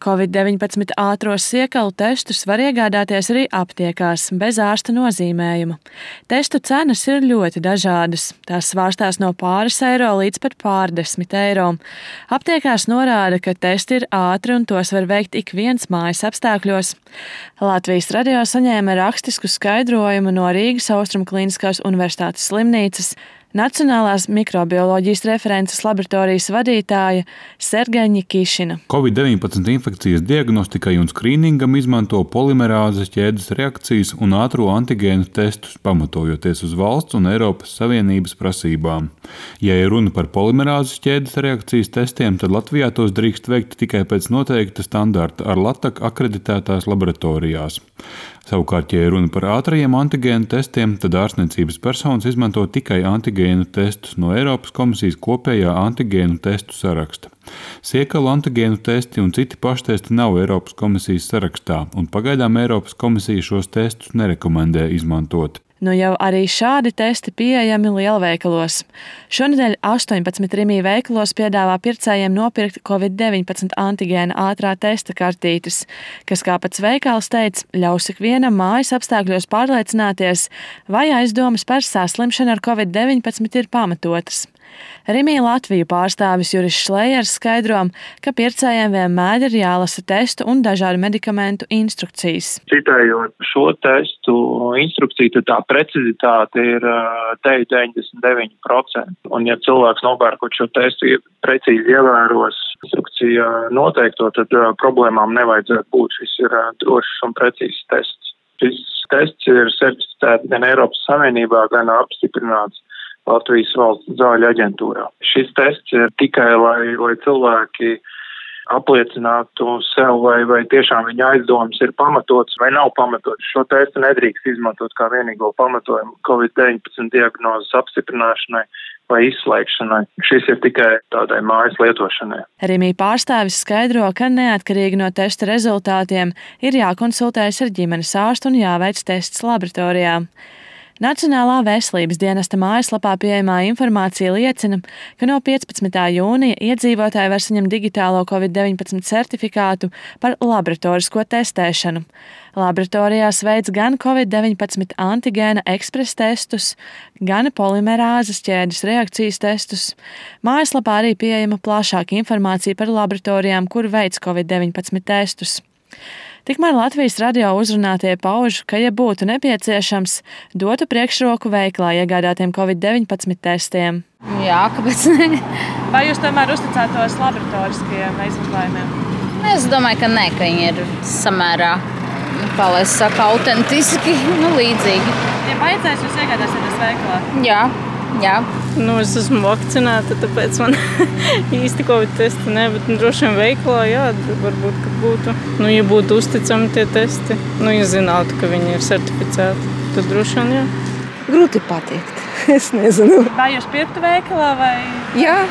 Covid-19 ātros siekalu testus var iegādāties arī aptiekās bez ārsta nozīmējuma. Testu cenas ir ļoti dažādas. Tās svārstās no pāris eiro līdz pat pārdesmit eiro. Aptiekās norāda, ka testi ir ātri un tos var veikt ik viens mājas apstākļos. Latvijas radio saņēma rakstisku skaidrojumu no Rīgas Austrumu Kliniskās universitātes slimnīcas Nacionālās mikrobioloģijas references laboratorijas vadītāja Sergeja Kišina. Covid-19 infekcijas diagnostikai un skrīningam izmanto polimerāzes ķēdes reakcijas un ātro antigēnu testus, pamatojoties uz valsts un Eiropas Savienības prasībām. Ja ir runa par polimerāzes ķēdes reakcijas testiem, tad Latvijā tos drīkst veikt tikai pēc noteikta standarta ar LATAK akreditētās laboratorijās. Savukārt, ja ir runa par ātrajiem antigēnu testiem, tad ārstniecības personas izmanto tikai antigēnu testus no Eiropas komisijas kopējā antigēnu testu saraksta. Siekalu antigēnu testi un citi paštesti nav Eiropas komisijas sarakstā, un pagaidām Eiropas komisija šos testus nerekomendē izmantot. Nu jau arī šādi testi pieejami lielveikalos. Šonedēļ 18 Rimī veikalos piedāvā pircējiem nopirkt Covid-19 antigēna ātrā testa kartītes, kas, kā pats veikals teica, ļaus ikvienam mājas apstākļos pārliecināties, vai aizdomas par saslimšanu ar Covid-19 ir pamatotas. Rimī Latviju pārstāvis Juris Šlejers skaidro, ka pircējiem vienmēr ir jālasa testu un dažādu medikamentu instrukcijas. Citējot šo testu instrukciju, tad tā precizitāte ir 99%. Un ja cilvēks nopērkot šo testu precīzi ievēros instrukcija noteikto, tad problēmām nevajadzētu būt. Šis ir drošs un precīzs tests. Šis tests ir certificēts gan Eiropas Savienībā, gan apstiprināts Latvijas valsts zāļu aģentūrā. Šis tests ir tikai, lai cilvēki apliecinātu sev, vai tiešām viņa aizdomas ir pamatotas vai nav pamatotas. Šo testu nedrīkst izmantot kā vienīgo pamatojumu Covid-19 diagnozes apstiprināšanai vai izslēgšanai. Šis ir tikai tādai mājas lietošanai. Rimī pārstāvis skaidro, ka neatkarīgi no testa rezultātiem ir jākonsultējas ar ģimenes ārstu un jāveic tests laboratorijā. Nacionālā veselības dienesta mājaslapā pieejamā informācija liecina, ka no 15. jūnija iedzīvotāji var saņemt digitālo Covid-19 certifikātu par laboratorisko testēšanu. Laboratorijās veic gan Covid-19 antigēna ekspres testus, gan polimerāzes ķēdes reakcijas testus. Mājaslapā arī pieejama plašāka informācija par laboratorijām, kur veic Covid-19 testus. Tikmēr Latvijas radio uzrunātie pauž, ka, ja būtu nepieciešams, dotu priekšroku veiklā iegādātiem Covid-19 testiem. Jā, kāpēc ne? Vai jūs tomēr uzticētos laboratoriskajiem izmeklējumiem? Es domāju, ka nē, ka viņi ir samērā, kā lai saka, autentiski, līdzīgi. Ja vajadzēs, jūs iegādāsieties veiklā? Jā. Es esmu vakcinēta, tāpēc man īsti Covid testi ne, bet droši vien veiklā, jā, varbūt, ka būtu. Ja būtu uzticami tie testi, ja zinātu, ka viņi ir certificēti, tad droši vien, jā. Grūti pateikt, es nezinu. Vai jūs pirktu veikalā vai? Jā,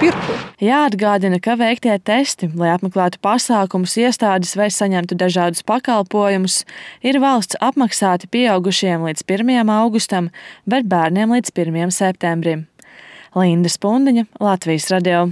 pirku. Jāatgādina, ka veiktie testi, lai apmeklētu pasākumus, iestādes vai saņemtu dažādus pakalpojumus, ir valsts apmaksāti pieaugušiem līdz 1. augustam, bet bērniem līdz 1. septembrim. Linda Spundiņa, Latvijas radio.